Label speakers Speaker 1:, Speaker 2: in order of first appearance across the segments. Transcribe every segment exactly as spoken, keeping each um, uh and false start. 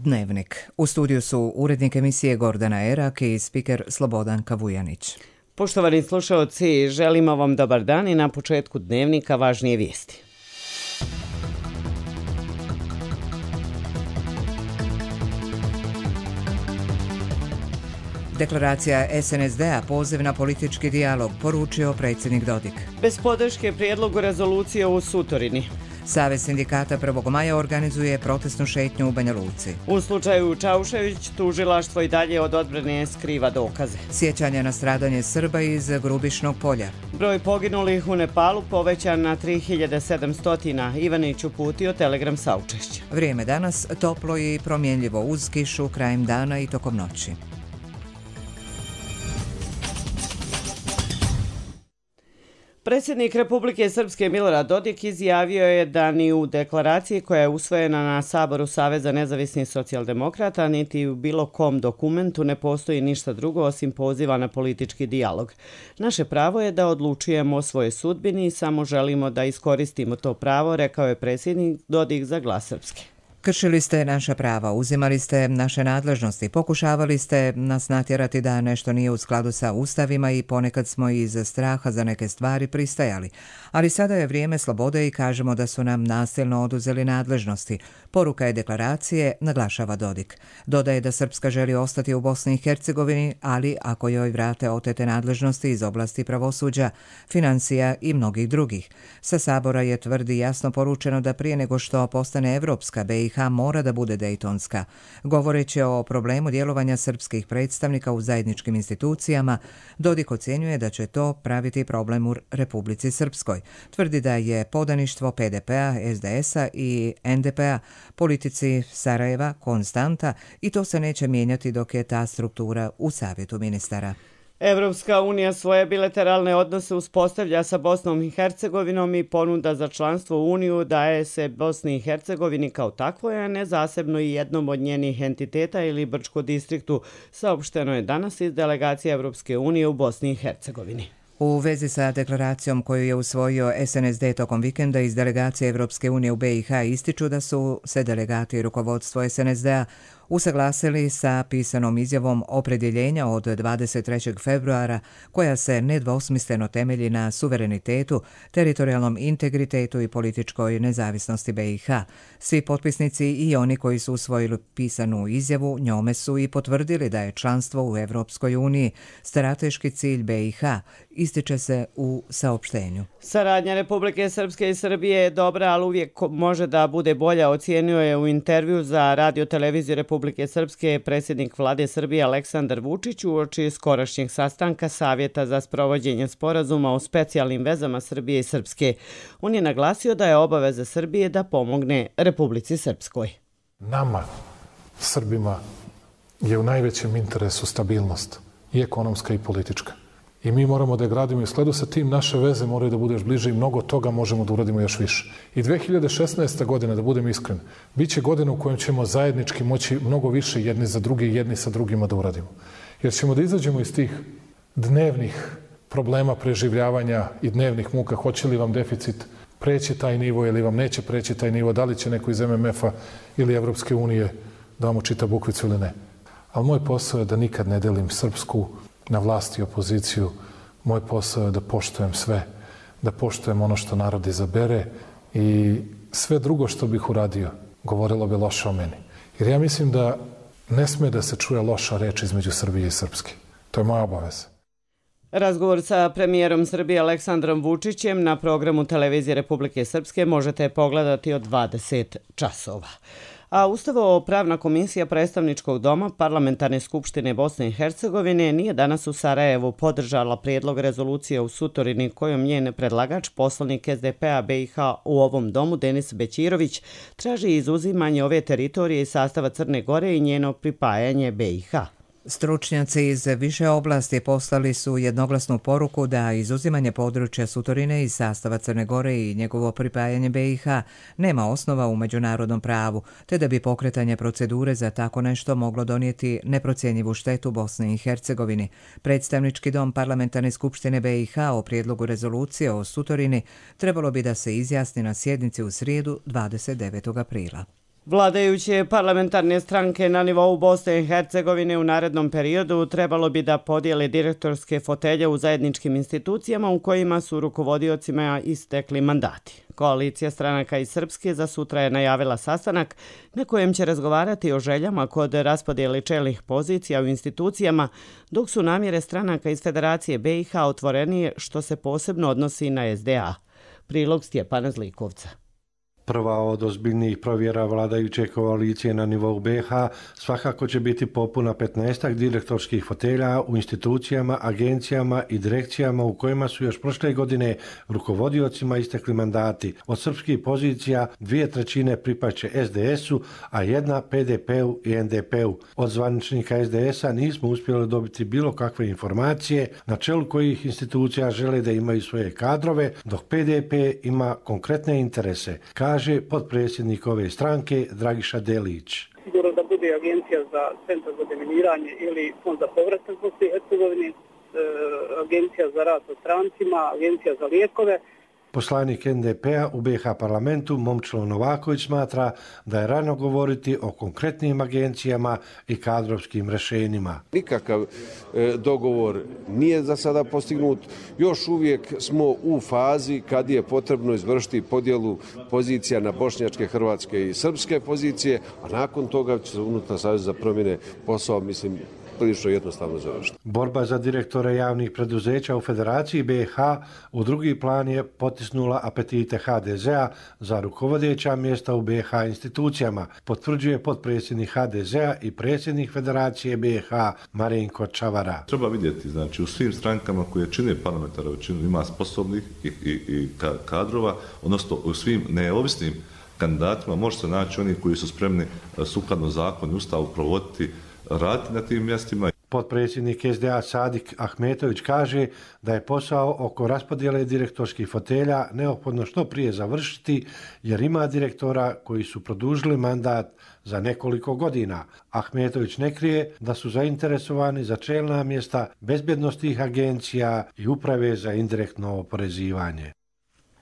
Speaker 1: Dnevnik. U studiju su urednik emisije Gordana Erak i spiker Slobodanka Vujanić.
Speaker 2: Poštovani slušaoci, želimo vam dobar dan i na početku Dnevnika važnije vijesti.
Speaker 1: Deklaracija es en es de-a poziv na politički dijalog, poručio predsjednik Dodik.
Speaker 2: Bez podrške prijedlogu rezolucije u Sutorini.
Speaker 1: Savez sindikata prvog maja organizuje protestnu šetnju u Banja Luci.
Speaker 2: U slučaju Čaušević tužilaštvo i dalje od odbrane skriva dokaze.
Speaker 1: Sjećanje na stradanje Srba iz Grubišnog polja.
Speaker 2: Broj poginulih u Nepalu povećan na tri hiljade sedamsto. Ivanić uputio telegram saučešća.
Speaker 1: Vrijeme danas toplo i promjenljivo uz kišu krajem dana i tokom noći.
Speaker 2: Predsjednik Republike Srpske Milorad Dodik izjavio je da ni u deklaraciji koja je usvojena na Saboru Saveza nezavisnih socijaldemokrata niti u bilo kom dokumentu ne postoji ništa drugo osim poziva na politički dijalog. Naše pravo je da odlučujemo o svojoj sudbini i samo želimo da iskoristimo to pravo, rekao je predsjednik Dodik za Glas Srpske.
Speaker 1: Kršili ste naša prava, uzimali ste naše nadležnosti, pokušavali ste nas natjerati da nešto nije u skladu sa ustavima i ponekad smo iz straha za neke stvari pristajali. Ali sada je vrijeme slobode i kažemo da su nam nasilno oduzeli nadležnosti. Poruka je deklaracije, naglašava Dodik. Dodaje da Srpska želi ostati u Bosni i Hercegovini, ali ako joj vrate otete nadležnosti iz oblasti pravosuđa, financija i mnogih drugih. Sa Sabora je tvrdi jasno poručeno da prije nego što postane evropska, be i ha mora da bude dejtonska. Govoreći o problemu djelovanja srpskih predstavnika u zajedničkim institucijama, Dodik ocjenjuje da će to praviti problem u Republici Srpskoj. Tvrdi da je podaništvo pe de pe-a, es de es-a i en de pe-a politici Sarajeva konstanta i to se neće mijenjati dok je ta struktura u Savjetu ministara.
Speaker 2: Evropska unija svoje bilateralne odnose uspostavlja sa Bosnom i Hercegovinom i ponuda za članstvo u Uniju daje se Bosni i Hercegovini kao takvoj, a ne zasebno i jednom od njenih entiteta ili Brčko distriktu, saopšteno je danas iz delegacije Evropske unije u Bosni i Hercegovini.
Speaker 1: U vezi sa deklaracijom koju je usvojio es en es de tokom vikenda iz delegacije Evropske unije u be i ha ističu da su se delegati i rukovodstvo es en es de-a usaglasili sa pisanom izjavom opredjeljenja od dvadeset trećeg februara koja se nedvosmisleno temelji na suverenitetu, teritorijalnom integritetu i političkoj nezavisnosti be i ha. Svi potpisnici i oni koji su usvojili pisanu izjavu njome su i potvrdili da je članstvo u Evropskoj uniji strateški cilj be i ha, ističe se u saopštenju.
Speaker 2: Saradnja Republike Srpske i Srbije je dobra, ali uvijek može da bude bolja, ocijenio je u intervju za radio televiziju Republike Srpske predsjednik vlade Srbije Aleksandar Vučić uoči skorašnjeg sastanka Savjeta za sprovođenje sporazuma o specijalnim vezama Srbije i Srpske. On je naglasio da je obaveza Srbije da pomogne Republici Srpskoj.
Speaker 3: Nama, Srbima, je u najvećem interesu stabilnost i ekonomska i politička. I mi moramo da je gradimo i u skladu sa tim naše veze moraju da bude još bliže i mnogo toga možemo da uradimo još više. I dve hiljade šesnaesta. godina, da budem iskren, bit će godina u kojem ćemo zajednički moći mnogo više jedni za druge i jedni sa drugima da uradimo. Jer ćemo da izađemo iz tih dnevnih problema preživljavanja i dnevnih muka, hoće li vam deficit preći taj nivo ili vam neće preći taj nivo, da li će neko iz em em ef-a ili Evropske unije da vam učita bukvicu ili ne. Ali moj posao je da nikad ne delim srpsku na vlast i opoziciju. Moj posao je da poštujem sve, da poštujem ono što narod izabere i sve drugo što bih uradio govorilo bi loše o meni. Jer ja mislim da ne sme da se čuje loša reč između Srbije i Srpske. To je moja obaveza.
Speaker 2: Razgovor sa premijerom Srbije Aleksandrom Vučićem na programu televizije Republike Srpske možete pogledati od dvadeset časova. A Ustavo-pravna komisija predstavničkog doma Parlamentarne skupštine Bosne i Hercegovine nije danas u Sarajevu podržala prijedlog rezolucije u Sutorini kojom njen predlagač, poslanik es de pe-a be i ha u ovom domu Denis Bećirović, traži izuzimanje ove teritorije iz sastava Crne Gore i njeno pripajanje be i ha.
Speaker 1: Stručnjaci iz više oblasti poslali su jednoglasnu poruku da izuzimanje područja Sutorine iz sastava Crne Gore i njegovo pripajanje be i ha nema osnova u međunarodnom pravu, te da bi pokretanje procedure za tako nešto moglo donijeti neprocjenjivu štetu Bosni i Hercegovini. Predstavnički dom Parlamentarne skupštine be i ha o prijedlogu rezolucije o Sutorini trebalo bi da se izjasni na sjednici u srijedu dvadeset devetog aprila.
Speaker 2: Vladajuće parlamentarne stranke na nivou Bosne i Hercegovine u narednom periodu trebalo bi da podijele direktorske fotelje u zajedničkim institucijama u kojima su rukovodiocima istekli mandati. Koalicija stranaka iz Srpske za sutra je najavila sastanak na kojem će razgovarati o željama kod raspodijele čelnih pozicija u institucijama, dok su namjere stranaka iz Federacije be i ha otvorenije, što se posebno odnosi na es de a. Prilog Stjepana Zlikovca.
Speaker 4: Prva od ozbiljnijih provjera vladajuće koalicije na nivou be ha svakako će biti popuna petnaestak direktorskih fotelja u institucijama, agencijama i direkcijama u kojima su još prošle godine rukovodiocima istekli mandati. Od srpskih pozicija dvije trećine pripaće es de esu, a jedna pe de pe-u i en de pe-u. Od zvaničnika es de esa nismo uspjeli dobiti bilo kakve informacije na čelu kojih institucija žele da imaju svoje kadrove, dok pe de pe ima konkretne interese, kaže potpredsjednik ove stranke Dragiša Delić.
Speaker 5: Sigurno da bude agencija za centar za deminiranje ili fond za povratak Bosne i Hercegovine, e, agencija za rad sa strancima, agencija za lijekove.
Speaker 4: Poslanik en de pe-a u be ha parlamentu Momčilo Novaković smatra da je rano govoriti o konkretnim agencijama i kadrovskim rješenjima.
Speaker 6: Nikakav e, dogovor nije za sada postignut. Još uvijek smo u fazi kad je potrebno izvršiti podjelu pozicija na bošnjačke, hrvatske i srpske pozicije, a nakon toga će se unutar Saveza za promjene posao, mislim, prilično jednostavno završiti.
Speaker 4: Borba za direktore javnih preduzeća u Federaciji be i ha u drugi plan je potisnula apetite ha de zea za rukovodeća mjesta u be i ha institucijama, potvrđuje potpredsjednik ha de zea i predsjednik Federacije be i ha Marinko Čavara.
Speaker 7: Treba vidjeti, znači u svim strankama koje čine parlamentarnu većinu ima sposobnih i, i, i kadrova, odnosno u svim neovisnim kandidatima može se naći oni koji su spremni sukladno zakonu i ustavu provoditi raditi na tim mjestima.
Speaker 4: Potpredsjednik es de a Sadik Ahmetović kaže da je posao oko raspodjele direktorskih fotelja neophodno što prije završiti jer ima direktora koji su produžili mandat za nekoliko godina. Ahmetović ne krije da su zainteresovani za čelna mjesta bezbjednostnih agencija i uprave za indirektno oporezivanje.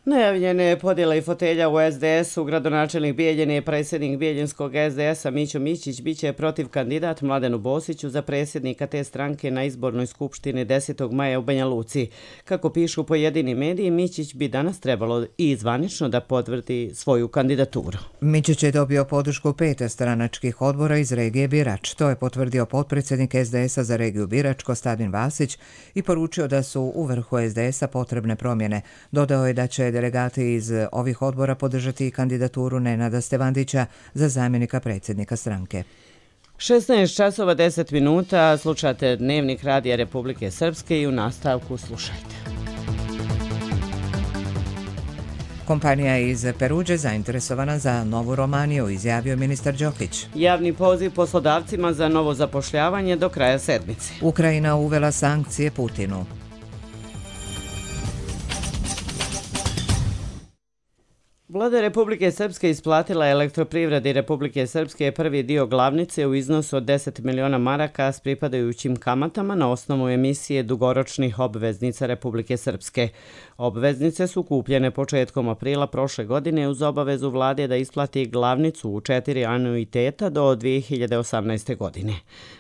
Speaker 2: Najavljene podjele i fotelja u es de esu, gradonačelnik Bijeljine i predsjednik bijeljinskog es de esa Mićo Mićić biće protiv kandidat Mladenu Bosiću za predsjednika te stranke na izbornoj skupštini desetog maja u Banja Luci. Kako pišu pojedini mediji, Mićić bi danas trebalo i zvanično da potvrdi svoju kandidaturu.
Speaker 1: Mićić je dobio podršku pet stranačkih odbora iz regije Birač. To je potvrdio potpredsjednik es de esa za regiju Birač Kostadin Vasić i poručio da su u vrhu es de esa potrebne promjene. Dodao je da će delegati iz ovih odbora podržati kandidaturu Nenada Stevandića za zamjenika predsjednika stranke.
Speaker 2: šesnaest časova deset minuta, slušate Dnevnik Radija Republike Srpske i u nastavku slušajte.
Speaker 1: Kompanija iz Peruđe zainteresovana za novu Romaniju, izjavio ministar Đokić.
Speaker 2: Javni poziv poslodavcima za novo zapošljavanje do kraja sedmice.
Speaker 1: Ukrajina uvela sankcije Putinu.
Speaker 2: Vlada Republike Srpske isplatila Elektroprivredi Republike Srpske prvi dio glavnice u iznosu od deset miliona maraka s pripadajućim kamatama na osnovu emisije dugoročnih obveznica Republike Srpske. Obveznice su kupljene početkom aprila prošle godine uz obavezu vlade da isplati glavnicu u četiri anuiteta do dvije hiljade osamnaeste. godine.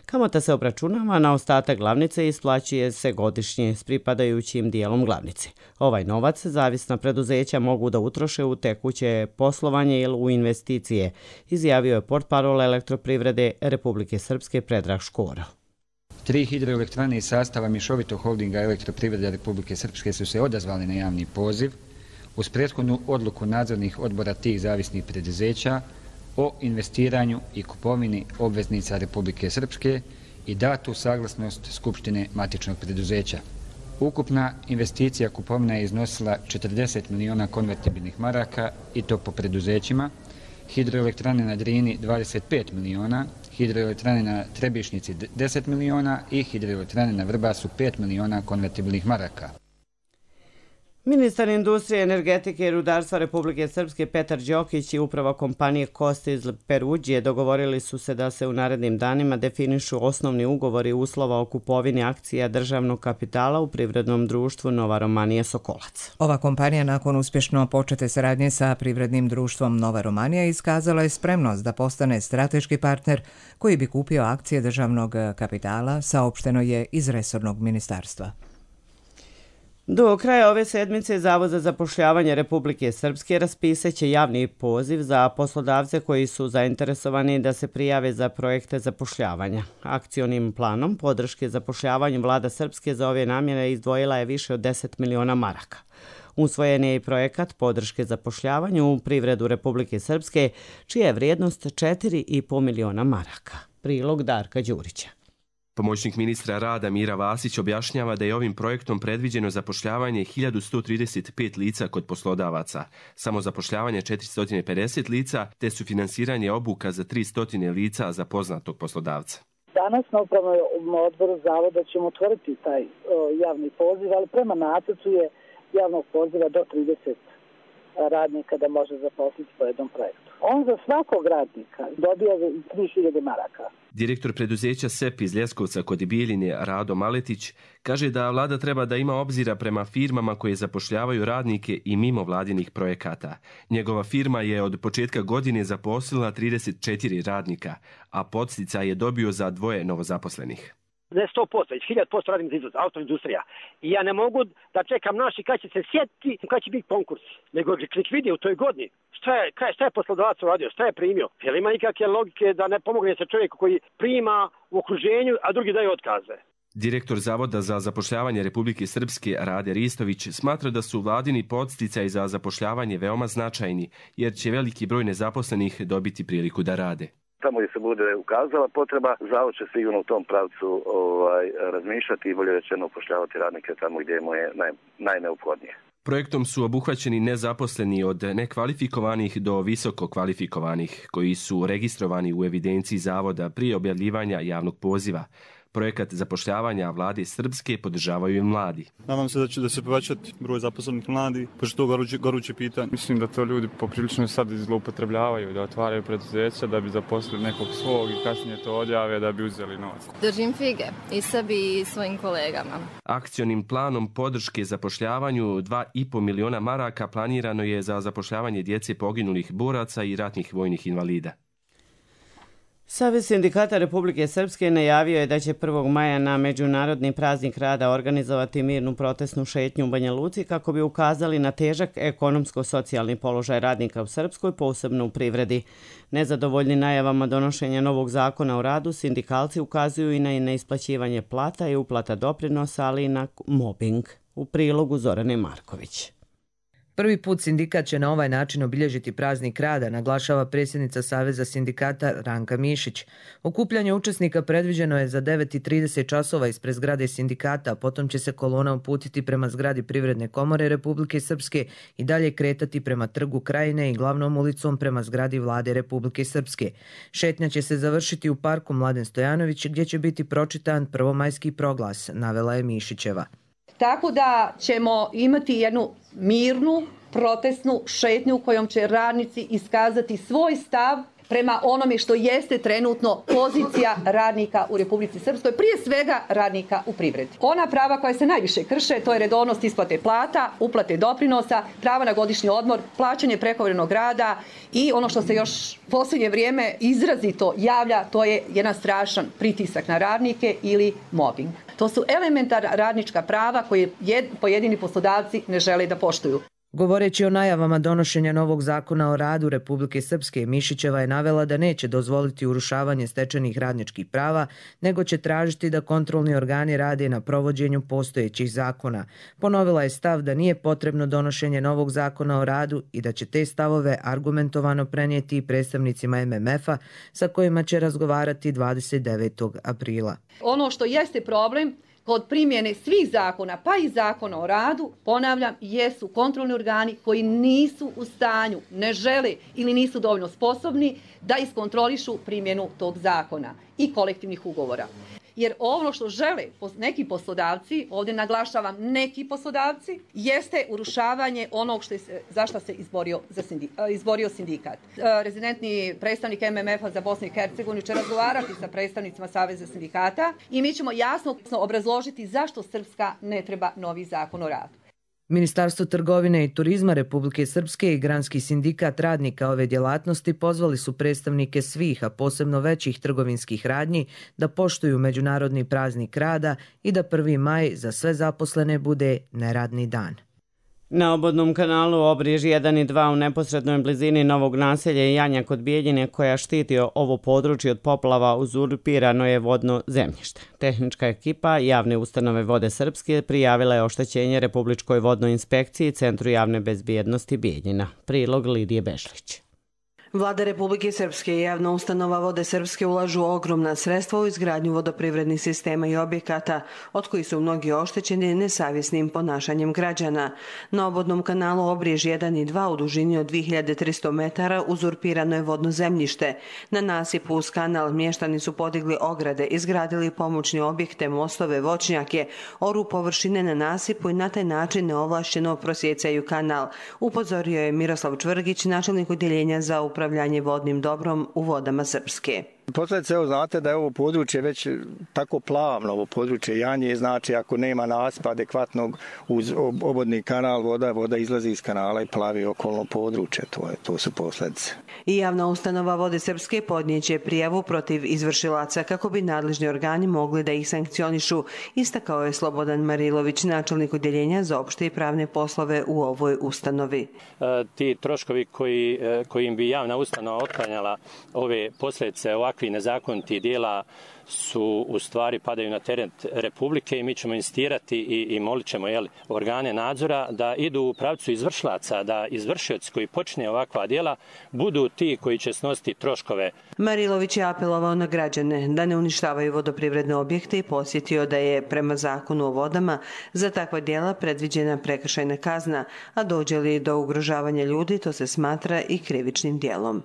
Speaker 2: Kamata se obračunava na ostatak glavnice i isplaćuje se godišnje s pripadajućim dijelom glavnice. Ovaj novac zavisna preduzeća mogu da utroše u tekuće poslovanje ili u investicije, izjavio je portparol Elektroprivrede Republike Srpske Predrag Škoro.
Speaker 8: Tri hidroelektrane iz sastava mješovitog holdinga Elektroprivrede Republike Srpske su se odazvali na javni poziv uz prethodnu odluku nadzornih odbora tih zavisnih preduzeća o investiranju i kupovini obveznica Republike Srpske i datu saglasnost Skupštine matičnog preduzeća. Ukupna investicija kupovina je iznosila četrdeset miliona konvertibilnih maraka i to po preduzećima, hidroelektrane na Drini dvadeset pet miliona, hidroelektrane na Trebišnici deset miliona i hidroelektrane na Vrbasu pet miliona konvertibilnih maraka.
Speaker 2: Ministar industrije, energetike i rudarstva Republike Srpske Petar Đokić i uprava kompanije Kosta iz Peruđije dogovorili su se da se u narednim danima definišu osnovni ugovori uslova o kupovini akcija državnog kapitala u privrednom društvu Nova Romanija Sokolac.
Speaker 1: Ova kompanija nakon uspješno počete saradnje sa privrednim društvom Nova Romanija iskazala je spremnost da postane strateški partner koji bi kupio akcije državnog kapitala, saopšteno je iz resornog ministarstva.
Speaker 2: Do kraja ove sedmice Zavod za zapošljavanje Republike Srpske raspisaće javni poziv za poslodavce koji su zainteresovani da se prijave za projekte zapošljavanja. Akcionim planom podrške zapošljavanju Vlada Srpske za ove namjere izdvojila je više od deset miliona maraka. Usvojen je i projekat podrške zapošljavanju u privredu Republike Srpske, čija je vrijednost četiri i po miliona maraka. Prilog Darka Đurića.
Speaker 9: Pomoćnik ministra rada Mira Vasić objašnjava da je ovim projektom predviđeno zapošljavanje hiljadu sto trideset pet lica kod poslodavaca, samozapošljavanje četiristo pedeset lica te sufinansiranje obuka za tristo lica za poznatog poslodavca.
Speaker 10: Danas na upravnom odboru Zavoda ćemo otvoriti taj o, javni poziv, ali prema nacrtu je javnog poziva do trideset radnika da može zaposliti po jednom projektu. On za svakog radnika dobija tri hiljade maraka.
Speaker 9: Direktor preduzeća S E P iz Ljeskovca kod Bijeljine Rado Maletić kaže da vlada treba da ima obzira prema firmama koje zapošljavaju radnike i mimo vladinih projekata. Njegova firma je od početka godine zaposlila trideset četiri radnika, a podsticaj je dobio za dvoje novozaposlenih.
Speaker 11: Ne sto posto, već hiljad posto radim za izvoz, autoindustrija. I ja ne mogu da čekam naši kad će se sjetiti, kad će biti konkurs. Nego nek vidi u toj godini šta je, šta je poslodavac uradio, šta je primio. Jer ima nikakve logike da ne pomogne se čovjeku koji prima u okruženju, a drugi daje otkaze.
Speaker 9: Direktor Zavoda za zapošljavanje Republike Srpske Rade Ristović smatra da su vladini podsticaji za zapošljavanje veoma značajni, jer će veliki broj nezaposlenih dobiti priliku da rade.
Speaker 12: Tamo gdje se bude ukazala potreba, Zavod će sigurno u tom pravcu ovaj, razmišljati i bolje rečeno upošljavati radnike tamo gdje mu je naj, najneophodnije.
Speaker 9: Projektom su obuhvaćeni nezaposleni od nekvalifikovanih do visoko kvalifikovanih, koji su registrovani u evidenciji Zavoda prije objavljivanja javnog poziva. Projekat zapošljavanja vlade Srpske podržavaju i mladi.
Speaker 13: Nadam se da će da se povećati broj zaposlenih mladi, pošto to goruće, goruće pitanje. Mislim da to ljudi poprilično sad zloupotrebljavaju, da otvaraju preduzeća, da bi zaposlili nekog svog i kasnije to odjave da bi uzeli novac.
Speaker 14: Držim fige i sebi i svojim kolegama.
Speaker 9: Akcionim planom podrške zapošljavanju dva i po miliona maraka planirano je za zapošljavanje djece poginulih boraca i ratnih vojnih invalida.
Speaker 2: Savez sindikata Republike Srpske najavio je da će prvog maja na Međunarodni praznik rada organizovati mirnu protestnu šetnju u Banja Luci kako bi ukazali na težak ekonomsko-socijalni položaj radnika u Srpskoj, posebno u privredi. Nezadovoljni najavama donošenja novog zakona o radu, sindikalci ukazuju i na neisplaćivanje plata i uplata doprinosa, ali i na mobing. U prilogu Zorane Marković.
Speaker 1: Prvi put sindikat će na ovaj način obilježiti praznik rada, naglašava predsjednica Saveza sindikata Ranka Mišić. Okupljanje učesnika predviđeno je za devet i trideset časova ispred zgrade sindikata, a potom će se kolona uputiti prema zgradi Privredne komore Republike Srpske i dalje kretati prema Trgu Krajine i glavnom ulicom prema zgradi Vlade Republike Srpske. Šetnja će se završiti u parku Mladen Stojanović gdje će biti pročitan prvomajski proglas, navela je Mišićeva.
Speaker 15: Tako da ćemo imati jednu mirnu, protestnu šetnju u kojom će radnici iskazati svoj stav prema onome što jeste trenutno pozicija radnika u Republici Srpskoj, prije svega radnika u privredi. Ona prava koja se najviše krše, to je redovnost isplate plata, uplate doprinosa, prava na godišnji odmor, plaćanje prekovremenog rada i ono što se još posljednje vrijeme izrazito javlja, to je jedan strašan pritisak na radnike ili mobbing. To su elementarna radnička prava koje pojedini poslodavci ne žele da poštuju.
Speaker 1: Govoreći o najavama donošenja novog zakona o radu Republike Srpske, Mišićeva je navela da neće dozvoliti urušavanje stečenih radničkih prava, nego će tražiti da kontrolni organi rade na provođenju postojećih zakona. Ponovila je stav da nije potrebno donošenje novog zakona o radu i da će te stavove argumentovano prenijeti i predstavnicima M M F-a sa kojima će razgovarati dvadeset devetog aprila.
Speaker 15: Ono što jeste problem kod primjene svih zakona, pa i zakona o radu, ponavljam, jesu kontrolni organi koji nisu u stanju, ne žele ili nisu dovoljno sposobni da iskontrolišu primjenu tog zakona i kolektivnih ugovora. jer ono što žele neki poslodavci, ovdje naglašavam neki poslodavci, jeste urušavanje onog što je, za što se izborio, za sindi, izborio sindikat. Rezidentni predstavnik M M F-a za Bosnu i Hercegovinu će razgovarati sa predstavnicima Saveza sindikata i mi ćemo jasno obrazložiti zašto Srpska ne treba novi zakon o radu.
Speaker 16: Ministarstvo trgovine i turizma Republike Srpske i Granski sindikat radnika ove djelatnosti pozvali su predstavnike svih, a posebno većih trgovinskih radnji, da poštuju Međunarodni praznik rada i da prvi maj za sve zaposlene bude neradni dan.
Speaker 2: Na obodnom kanalu Obriž jedan i dva u neposrednoj blizini novog naselja Janja kod Bijeljine, koja štiti ovo područje od poplava, uzurpirano je vodno zemljište. Tehnička ekipa Javne ustanove Vode Srpske prijavila je oštećenje Republičkoj vodnoj inspekciji Centru javne bezbjednosti Bijeljina. Prilog Lidije Bešlić.
Speaker 17: Vlada Republike Srpske i Javna ustanova Vode Srpske ulažu ogromna sredstva u izgradnju vodoprivrednih sistema i objekata, od kojih su mnogi oštećeni nesavjesnim ponašanjem građana. Na obodnom kanalu Obriž jedan i dva u dužini od dvije hiljade tristo metara uzurpirano je vodno zemljište. Na nasipu uz kanal mještani su podigli ograde, izgradili pomoćne objekte, mostove, voćnjake, oru površine na nasipu i na taj način neovlašćeno prosjecaju kanal. Upozorio je Miroslav Čvrgić, načelnik odjeljenja za upravljanje vodnim dobrom u Vodama Srpske.
Speaker 18: Posljedice, evo znate da je ovo područje već tako plavno, ovo područje Janje, znači ako nema nasipa adekvatnog uz obodni kanal, voda, voda izlazi iz kanala i plavi okolno područje, to, je, to su posljedice.
Speaker 17: I Javna ustanova Vode Srpske podnijeće prijavu protiv izvršilaca kako bi nadležni organi mogli da ih sankcionišu, istakao je Slobodan Marilović, načelnik odjeljenja za opšte i pravne poslove u ovoj ustanovi.
Speaker 19: E, ti troškovi koji, kojim bi javna ustanova otklanjala ove posljedice ovakve i nezakoniti dijela su u stvari padaju na teret Republike i mi ćemo insistirati i, i molit ćemo jel, organe nadzora da idu u pravcu izvršilaca, da izvršioci koji počne ovakva dijela budu ti koji će snositi troškove.
Speaker 17: Marilović je apelovao na građane da ne uništavaju vodoprivredne objekte i posjetio da je prema zakonu o vodama za takva dijela predviđena prekršajna kazna, a dođe li do ugrožavanja ljudi, to se smatra i krivičnim dijelom.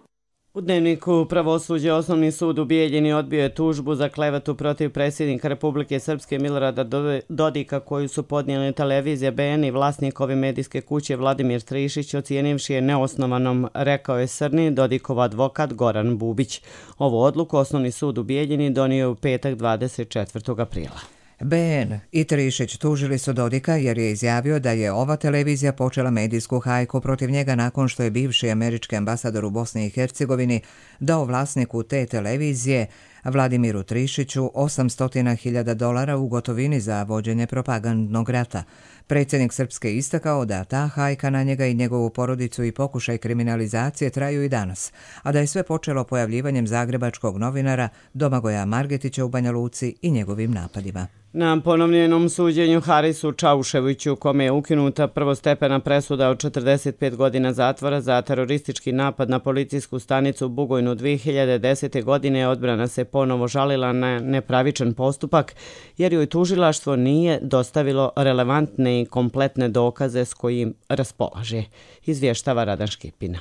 Speaker 2: U Dnevniku pravosuđe Osnovni sud u Bijeljini odbio je tužbu za klevetu protiv predsjednika Republike Srpske Milorada Dodika koju su podnijeli televizija B N i vlasnikovi medijske kuće Vladimir Trišić, ocijenivši je neosnovanom, rekao je Srni Dodikov advokat Goran Bubić. Ovu odluku Osnovni sud u Bijeljini donio u petak dvadeset četvrtog aprila.
Speaker 1: B N i Trišić tužili su Dodika jer je izjavio da je ova televizija počela medijsku hajku protiv njega nakon što je bivši američki ambasador u Bosni i Hercegovini dao vlasniku te televizije Vladimiru Trišiću osamsto hiljada dolara u gotovini za vođenje propagandnog rata. Predsjednik Srpske istakao da ta hajka na njega i njegovu porodicu i pokušaj kriminalizacije traju i danas, a da je sve počelo pojavljivanjem zagrebačkog novinara Domagoja Margetića u Banja Luci i njegovim napadima.
Speaker 2: Na ponovljenom suđenju Harisu Čauševiću, kome je ukinuta prvostepena presuda od četrdeset pet godina zatvora za teroristički napad na policijsku stanicu u Bugojnu dvije hiljade desete. godine, odbrana se ponovo žalila na nepravičan postupak jer joj tužilaštvo nije dostavilo relevantne i kompletne dokaze s kojim raspolaže, izvještava Radan Škipina.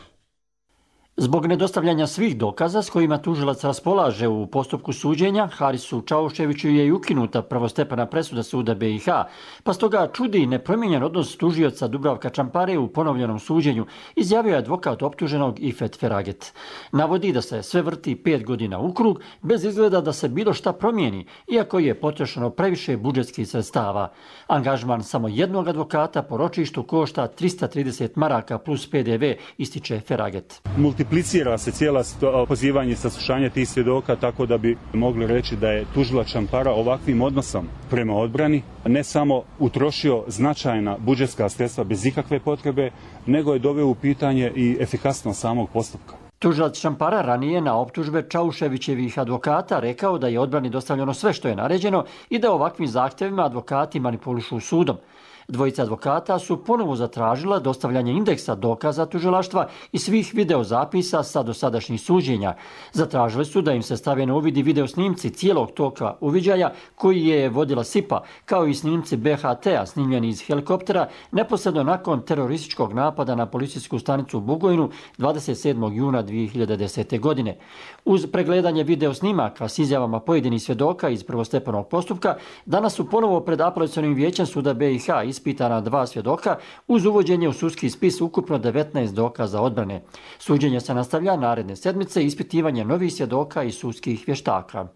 Speaker 20: Zbog nedostavljanja svih dokaza s kojima tužilac raspolaže u postupku suđenja, Harisu Čauševiću je i ukinuta prvostepena presuda suda B i H, pa stoga čudi nepromijenjen odnos tužioca Dubravka Čampare u ponovljenom suđenju, izjavio je advokat optuženog Ifet Feraget. Navodi da se sve vrti pet godina u krug, bez izgleda da se bilo šta promijeni, iako je potrošeno previše budžetskih sredstava. Angažman samo jednog advokata po ročištu košta trista trideset maraka plus P D V, ističe Feraget.
Speaker 21: Multiplicira se cijela pozivanje i saslušanje tih svjedoka, tako da bi mogli reći da je tužilac Čampara ovakvim odnosom prema odbrani ne samo utrošio značajna budžetska sredstva bez ikakve potrebe, nego je doveo u pitanje i efikasnost samog postupka.
Speaker 20: Tužilac Čampara ranije na optužbe Čauševićevih advokata rekao da je odbrani dostavljeno sve što je naređeno i da ovakvim zahtjevima advokati manipulišu sudom. Dvojica advokata su ponovo zatražila dostavljanje indeksa dokaza tužilaštva i svih videozapisa sa dosadašnjih suđenja. Zatražili su da im se stave na uvid i video snimci cijelog toka uviđaja koji je vodila S I P A, kao i snimci B H T-a snimljeni iz helikoptera neposredno nakon terorističkog napada na policijsku stanicu u Bugojnu dvadeset sedmog juna dvije hiljade desete. godine. Uz pregledanje video snimaka s izjavama pojedinih svjedoka iz prvostepenog postupka, danas su ponovo pred apelacionim vijećem suda B i H ispitana dva svjedoka uz uvođenje u sudski spis ukupno devetnaest dokaza odbrane. Suđenje se nastavlja naredne sedmice ispitivanje novih svjedoka i sudskih vještaka.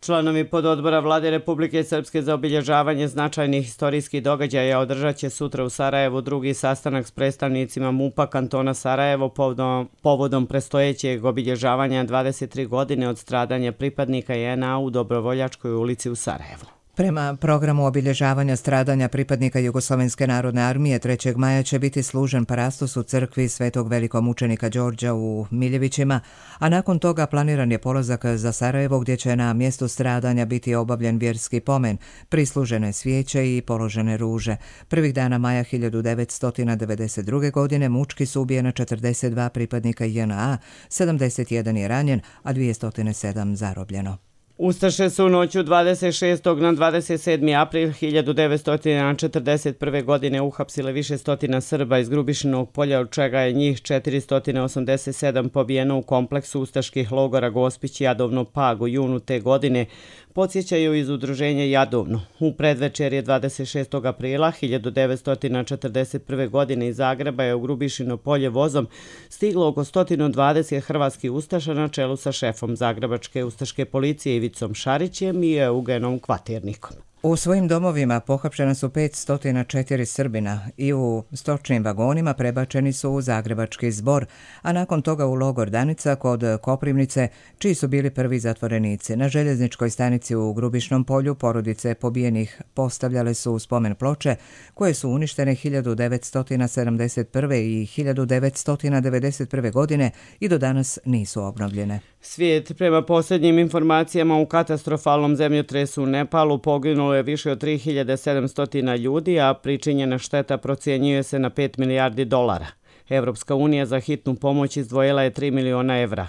Speaker 2: Članovi pododbora Vlade Republike Srpske za obilježavanje značajnih historijskih događaja održat će sutra u Sarajevu drugi sastanak s predstavnicima M U P-a kantona Sarajevo povodom, povodom prestojećeg obilježavanja dvadeset tri godine od stradanja pripadnika J N A u Dobrovoljačkoj ulici u Sarajevu.
Speaker 1: Prema programu obilježavanja stradanja pripadnika Jugoslovenske narodne armije trećeg maja će biti služen parastos u crkvi Svetog velikomučenika Đorđa u Miljevićima, a nakon toga planiran je polazak za Sarajevo gdje će na mjestu stradanja biti obavljen vjerski pomen, prislužene svijeće i položene ruže. Prvih dana maja hiljadu devetsto devedeset druge. godine mučki su ubijena četrdeset dva pripadnika J N A, sedamdeset jedan je ranjen, a dvjesto sedam zarobljeno.
Speaker 2: Ustaše su u noću dvadeset šestog na dvadeset sedmi april hiljadu devetsto četrdeset prve. godine uhapsile više stotina Srba iz Grubišinog polja, od čega je njih četiristo osamdeset sedam pobijeno u kompleksu ustaških logora Gospić, Jadovno, Pag u junu te godine, podsjećaju iz udruženja Jadovno. U predvečerje dvadeset šestog aprila hiljadu devetsto četrdeset prve. godine iz Zagreba je u Grubišino polje vozom stiglo oko sto dvadeset hrvatskih ustaša na čelu sa šefom Zagrebačke ustaške policije Ivicom Šarićem i Eugenom Kvaternikom.
Speaker 1: U svojim domovima pohapšena su petsto četiri Srbina i u stočnim vagonima prebačeni su u Zagrebački Zbor, a nakon toga u logor Danica kod Koprivnice, čiji su bili prvi zatvorenici. Na željezničkoj stanici u Grubišnom polju porodice pobijenih postavljale su spomen ploče koje su uništene hiljadu devetsto sedamdeset prve. i hiljadu devetsto devedeset prve. godine i do danas nisu obnovljene.
Speaker 2: Svijet, prema posljednjim informacijama u katastrofalnom zemljotresu u Nepalu poginulo je više od tri hiljade sedamsto ljudi, a pričinjena šteta procjenjuje se na pet milijardi dolara. Evropska unija za hitnu pomoć izdvojila je tri miliona evra.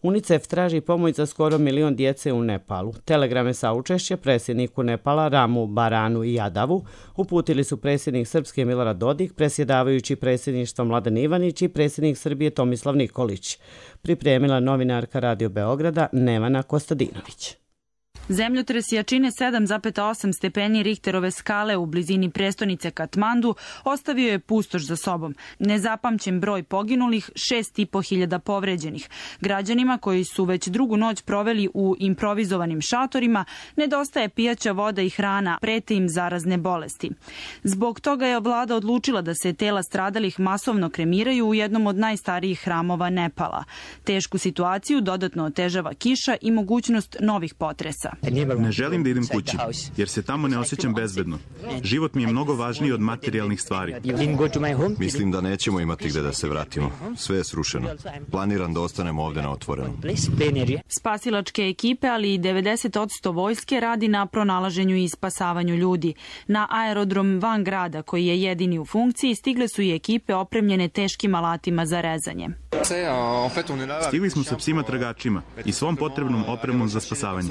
Speaker 2: UNICEF traži pomoć za skoro milion djece u Nepalu. Telegrame saučešća predsjedniku Nepala Ramu Baranu i Jadavu uputili su predsjednik Srpske Milorad Dodik, predsjedavajući predsjedništva Mladen Ivanić i predsjednik Srbije Tomislav Nikolić. Pripremila novinarka Radio Beograda Nevana Kostadinović.
Speaker 3: Zemljotres jačine sedam zarez osam stepeni Richterove skale u blizini prestonice Katmandu ostavio je pustoš za sobom. Nezapamćen broj poginulih, šest i po hiljada povređenih. Građanima koji su već drugu noć proveli u improvizovanim šatorima nedostaje pijaća voda i hrana, prete im zarazne bolesti. Zbog toga je vlada odlučila da se tela stradalih masovno kremiraju u jednom od najstarijih hramova Nepala. Tešku situaciju dodatno otežava kiša i mogućnost novih potresa.
Speaker 22: Ne želim da idem kući, jer se tamo ne osjećam bezbedno. Život mi je mnogo važniji od materijalnih stvari.
Speaker 23: Mislim da nećemo imati gde da se vratimo. Sve je srušeno. Planiram da ostanemo ovde na otvorenom.
Speaker 3: Spasilačke ekipe, ali i devedeset posto vojske radi na pronalaženju i spasavanju ljudi. Na aerodrom van grada, koji je jedini u funkciji, stigle su i ekipe opremljene teškim alatima za rezanje.
Speaker 22: Stigli smo sa psima tragačima i svom potrebnom opremom za spasavanje.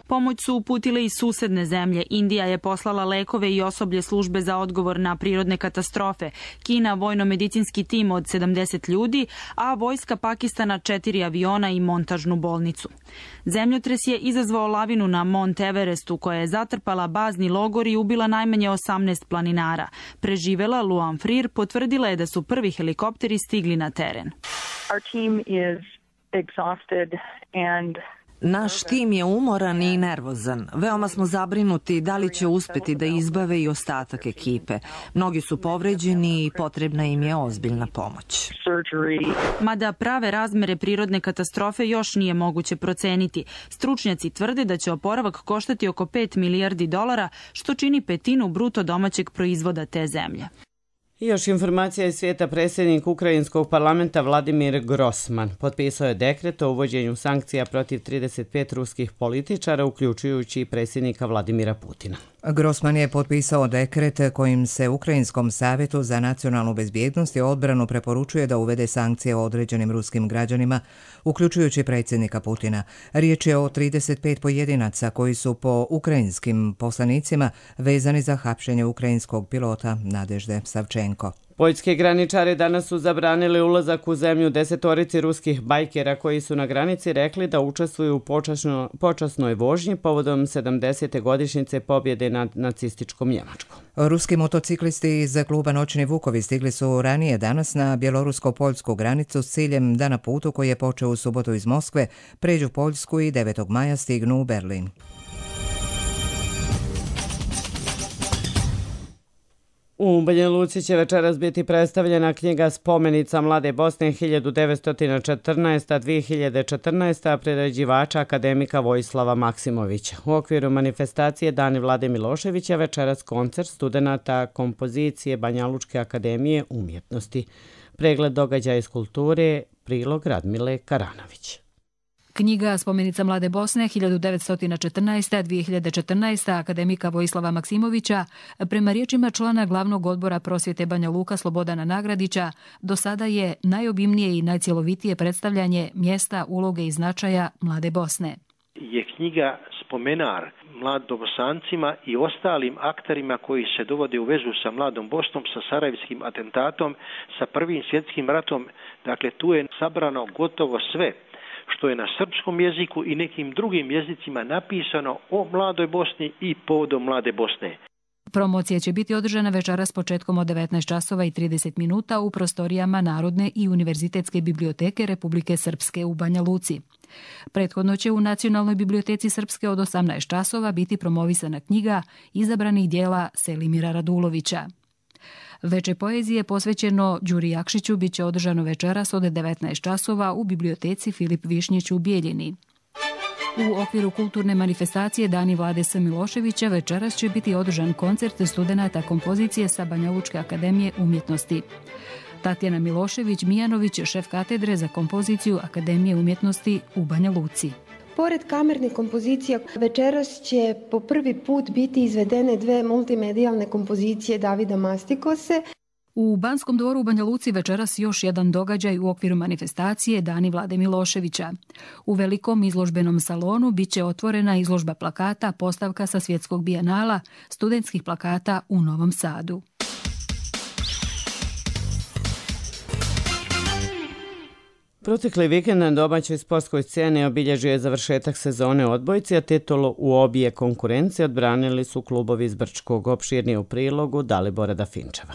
Speaker 3: Pomoć su uputile i susedne zemlje. Indija je poslala lekove i osoblje službe za odgovor na prirodne katastrofe. Kina vojno-medicinski tim od sedamdeset ljudi, a vojska Pakistana četiri aviona i montažnu bolnicu. Zemljotres je izazvao lavinu na Mont Everestu, koja je zatrpala bazni logor i ubila najmanje osamnaest planinara. Preživela Luan Freer potvrdila je da su prvi helikopteri stigli na teren.
Speaker 24: Our team is exhausted and
Speaker 25: Naš tim je umoran i nervozan. Veoma smo zabrinuti da li će uspeti da izbave i ostatak ekipe. Mnogi su povređeni i potrebna im je ozbiljna pomoć.
Speaker 3: Mada prave razmere prirodne katastrofe još nije moguće proceniti. Stručnjaci tvrde da će oporavak koštati oko pet milijardi dolara, što čini petinu bruto domaćeg proizvoda te zemlje.
Speaker 2: I još informacija iz svijeta. Predsjednik Ukrajinskog parlamenta Vladimir Grosman potpisao je dekret o uvođenju sankcija protiv trideset pet ruskih političara, uključujući i predsjednika Vladimira Putina.
Speaker 1: Grosman je potpisao dekret kojim se Ukrajinskom savjetu za nacionalnu bezbjednost i odbranu preporučuje da uvede sankcije o određenim ruskim građanima, uključujući predsjednika Putina. Riječ je o trideset pet pojedinaca koji su po ukrajinskim poslanicima vezani za hapšenje ukrajinskog pilota Nadežde Savčenko.
Speaker 2: Poljski graničari danas su zabranili ulazak u zemlju desetorici ruskih bajkera koji su na granici rekli da učestvuju u počasno, počasnoj vožnji povodom sedamdesete godišnjice pobjede nad nacističkom Njemačkom.
Speaker 1: Ruski motociklisti iz kluba Noćni Vukovi stigli su ranije danas na bjelorusko-poljsku granicu s ciljem da na putu koji je počeo u subotu iz Moskve pređu Poljsku i devetog maja stignu u Berlin.
Speaker 2: U Banja Luci će večeras biti predstavljena knjiga Spomenica Mlade Bosne hiljadu devetsto četrnaesta do dvije hiljade četrnaeste. priređivača akademika Vojislava Maksimovića. U okviru manifestacije Dani Vlade Miloševića večeras koncert studenata kompozicije Banja Lučke akademije umjetnosti. Pregled događaja iz kulture, prilog Radmile Karanović.
Speaker 4: Knjiga Spomenica Mlade Bosne hiljadu devetsto četrnaesta do dvije hiljade četrnaeste. akademika Vojislava Maksimovića, prema riječima člana glavnog odbora prosvjete Banja Luka Slobodana Nagradića, do sada je najobimnije i najcjelovitije predstavljanje mjesta, uloge i značaja Mlade Bosne.
Speaker 5: Je knjiga spomenar mladobosancima i ostalim akterima koji se dovode u vezu sa Mladom Bosnom, sa Sarajevskim atentatom, sa Prvim svjetskim ratom. Dakle, tu je sabrano gotovo sve što je na srpskom jeziku i nekim drugim jezicima napisano o Mladoj Bosni i povodom Mlade Bosne.
Speaker 4: Promocija će biti održana večeras početkom od devetnaest časova i trideset minuta u prostorijama Narodne i Univerzitetske biblioteke Republike Srpske u Banja Luci. Prethodno će u Nacionalnoj biblioteci Srpske od osamnaest časova biti promovisana knjiga izabranih dijela Selimira Radulovića. Veče poezije posvećeno Đuri Jakšiću bit će održano večeras od devetnaest časova u biblioteci Filip Višnjić u Bijeljini. U okviru kulturne manifestacije Dani Vlade S. Miloševića večeras će biti održan koncert studenata kompozicije sa Banja Lučke akademije umjetnosti. Tatjana Milošević-Mijanović, šef katedre za kompoziciju Akademije umjetnosti u Banja Luci.
Speaker 6: Pored kamerne kompozicija, večeras će po prvi put biti izvedene dve multimedijalne kompozicije Davida Mastikose.
Speaker 4: U Banskom dvoru u Banja Luci večeras još jedan događaj u okviru manifestacije Dani Vlade Miloševića. U velikom izložbenom salonu bit će otvorena izložba plakata, postavka sa svjetskog bijenala, studentskih plakata u Novom Sadu.
Speaker 2: Protekli vikend na domaćoj sportskoj sceni obilježio je završetak sezone odbojci, a titulu u obje konkurencije odbranili su klubovi iz Brčkog. Opširnije u prilogu Dalibora Dafinčeva.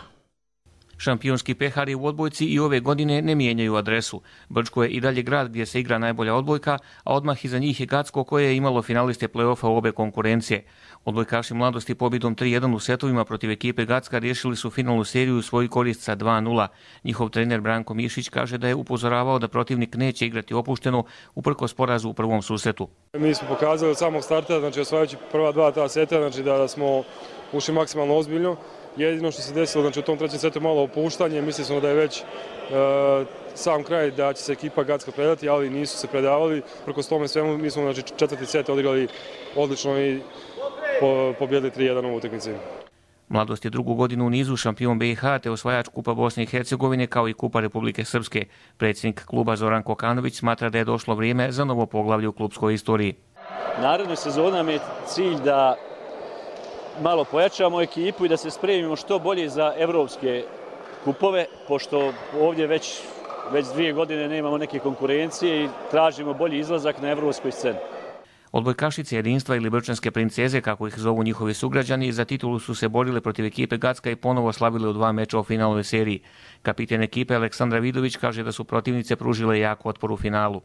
Speaker 7: Šampionski pehari u odbojci i ove godine ne mijenjaju adresu. Brčko je i dalje grad gdje se igra najbolja odbojka, a odmah iza njih je Gacko koje je imalo finaliste play-offa u obe konkurencije. Odbojkaši Mladosti pobjedom tri jedan u setovima protiv ekipe Gacka riješili su finalnu seriju u svoju korist sa dva nula. Njihov trener Branko Mišić kaže da je upozoravao da protivnik neće igrati opušteno uprkos porazu u prvom susretu.
Speaker 8: Mi smo pokazali od samog starta, znači osvajajući prva dva ta seta, znači da smo ušli maksimalno ozbiljno. Jedino što se desilo, znači u tom trećem setu malo opuštanje, mislili smo da je već e, sam kraj da će se ekipa Gacka predati, ali nisu se predavali. Prkos tome svemu mi smo znači, četvrti set odigrali odlično i po, pobjedili tri jedan u utakmici.
Speaker 7: Mladost je drugu godinu u nizu šampion B i H te osvajač Kupa Bosne i Hercegovine kao i Kupa Republike Srpske. Predsjednik kluba Zoran Kokanović smatra da je došlo vrijeme za novo poglavlje u klubskoj istoriji.
Speaker 26: Naredna sezona nam je cilj da malo pojačamo ekipu i da se spremimo što bolje za evropske kupove, pošto ovdje već, već dvije godine nemamo neke konkurencije i tražimo bolji izlazak na evropskoj sceni.
Speaker 7: Odbojkašice jedinstva ili brčanske princeze, kako ih zovu njihovi sugrađani, za titulu su se borile protiv ekipe Gacka i ponovo slavile u dva meča u finalnoj seriji. Kapiten ekipe Aleksandra Vidović kaže da su protivnice pružile jak otpor u finalu.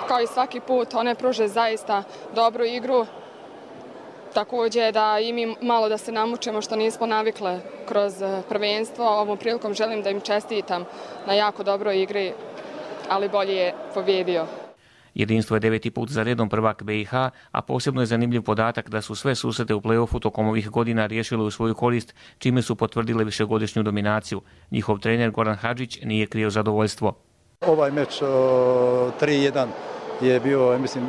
Speaker 27: Kao i svaki put, one pruže zaista dobru igru. Također da i mi malo da se namučemo što nismo navikle kroz prvenstvo. Ovom prilikom želim da im čestitam na jako dobroj igri, ali bolje je pobjedio.
Speaker 7: Jedinstvo je deveti put za redom prvak B i H, a posebno je zanimljiv podatak da su sve susrete u play-offu tokom ovih godina riješile u svoju korist, čime su potvrdile višegodišnju dominaciju. Njihov trener Goran Hadžić nije krio zadovoljstvo.
Speaker 9: Ovaj meč tri jedan je bio, mislim,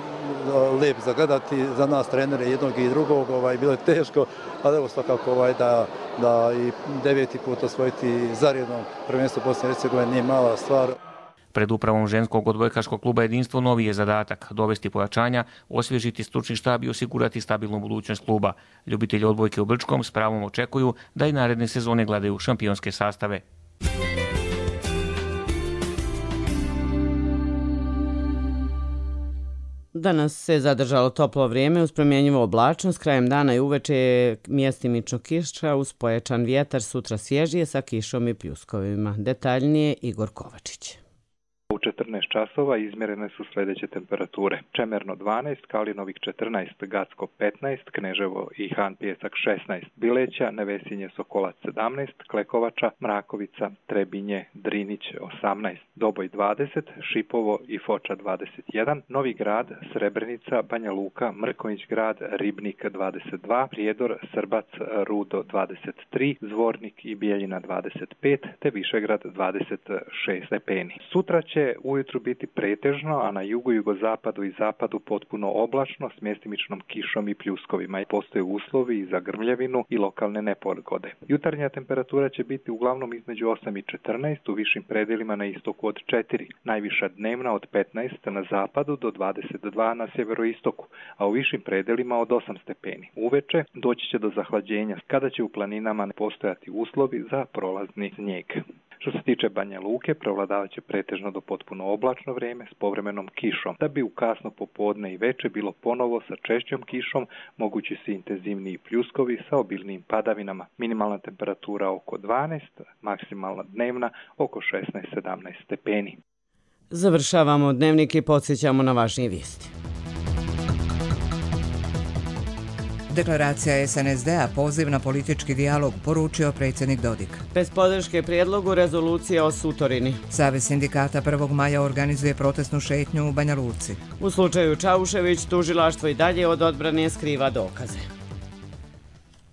Speaker 9: lijep za gledati za nas trenere jednog i drugog, ovaj, bilo je teško, ali evo svakako ovaj, da, da i deveti put osvojiti zaredno prvenstvo Bosne i Hercegovine nije mala stvar.
Speaker 7: Pred upravom ženskog odbojkaškog kluba Jedinstvo novi je zadatak dovesti pojačanja, osvježiti stručni štab i osigurati stabilnu budućnost kluba. Ljubitelji odbojke u Brčkom s pravom očekuju da i naredne sezone gledaju šampionske sastave.
Speaker 2: Danas se zadržalo toplo vrijeme uz promjenjivu oblačnost, krajem dana i uveče je mjestimično kiša uz pojačan vjetar, sutra svježije sa kišom i pljuskovima. Detaljnije Igor Kovačić.
Speaker 10: U četrnaest časova izmjerene su sljedeće temperature. Čemerno dvanaest, Kalinovik četrnaest, Gacko petnaest, Kneževo i Han Pijesak šesnaest, Bileća, Nevesinje, Sokolac sedamnaest, Klekovača, Mrakovica, Trebinje, Drinić osamnaest, Doboj dvadeset, Šipovo i Foča dvadeset jedan, Novi Grad, Srebrenica, Banja Luka, Mrkonjić Grad, Ribnik dvadeset dva, Prijedor, Srbac, Rudo dvadeset tri, Zvornik i Bijeljina dvadeset pet, te Višegrad dvadeset šest stepeni. Sutra će ujutru biti pretežno, a na jugu, jugozapadu i zapadu potpuno oblačno s mjestimičnom kišom i pljuskovima. Postoje uslovi i za grmljavinu i lokalne nepogode. Jutarnja temperatura će biti uglavnom između osam i četrnaest, u višim predelima na istoku od četiri, najviša dnevna od petnaest na zapadu do dvadeset dva na sjeveroistoku, a u višim predelima od osam stepeni. Uveče doći će do zahlađenja, kada će u planinama postojati uslovi za prolazni snijeg. Što se tiče Banja Luke, prevladavat će pretežno do potpuno oblačno vrijeme s povremenom kišom. Da bi u kasno popodne i veče bilo ponovo sa češćom kišom, mogući su intenzivniji pljuskovi sa obilnijim padavinama. Minimalna temperatura oko dvanaest, maksimalna dnevna oko šesnaest sedamnaest stepeni.
Speaker 2: Završavamo dnevnik i podsjećamo na važnije vijesti.
Speaker 1: Deklaracija S N S D-a poziv na politički dijalog, poručio predsjednik Dodik.
Speaker 2: Bez podrške prijedlogu rezolucije o Sutorini.
Speaker 1: Savez sindikata prvog maja organizuje protestnu šetnju u Banja Luci.
Speaker 2: U slučaju Čaušević tužilaštvo i dalje od odbrane skriva dokaze.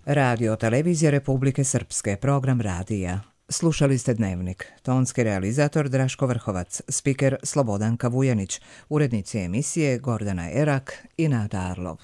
Speaker 1: Radio Televizija Republike Srpske, program radija. Slušali ste Dnevnik. Tonski realizator Draško Vrhovac, spiker Slobodanka Vujanić, urednici emisije Gordana Erak i Nada Arlov.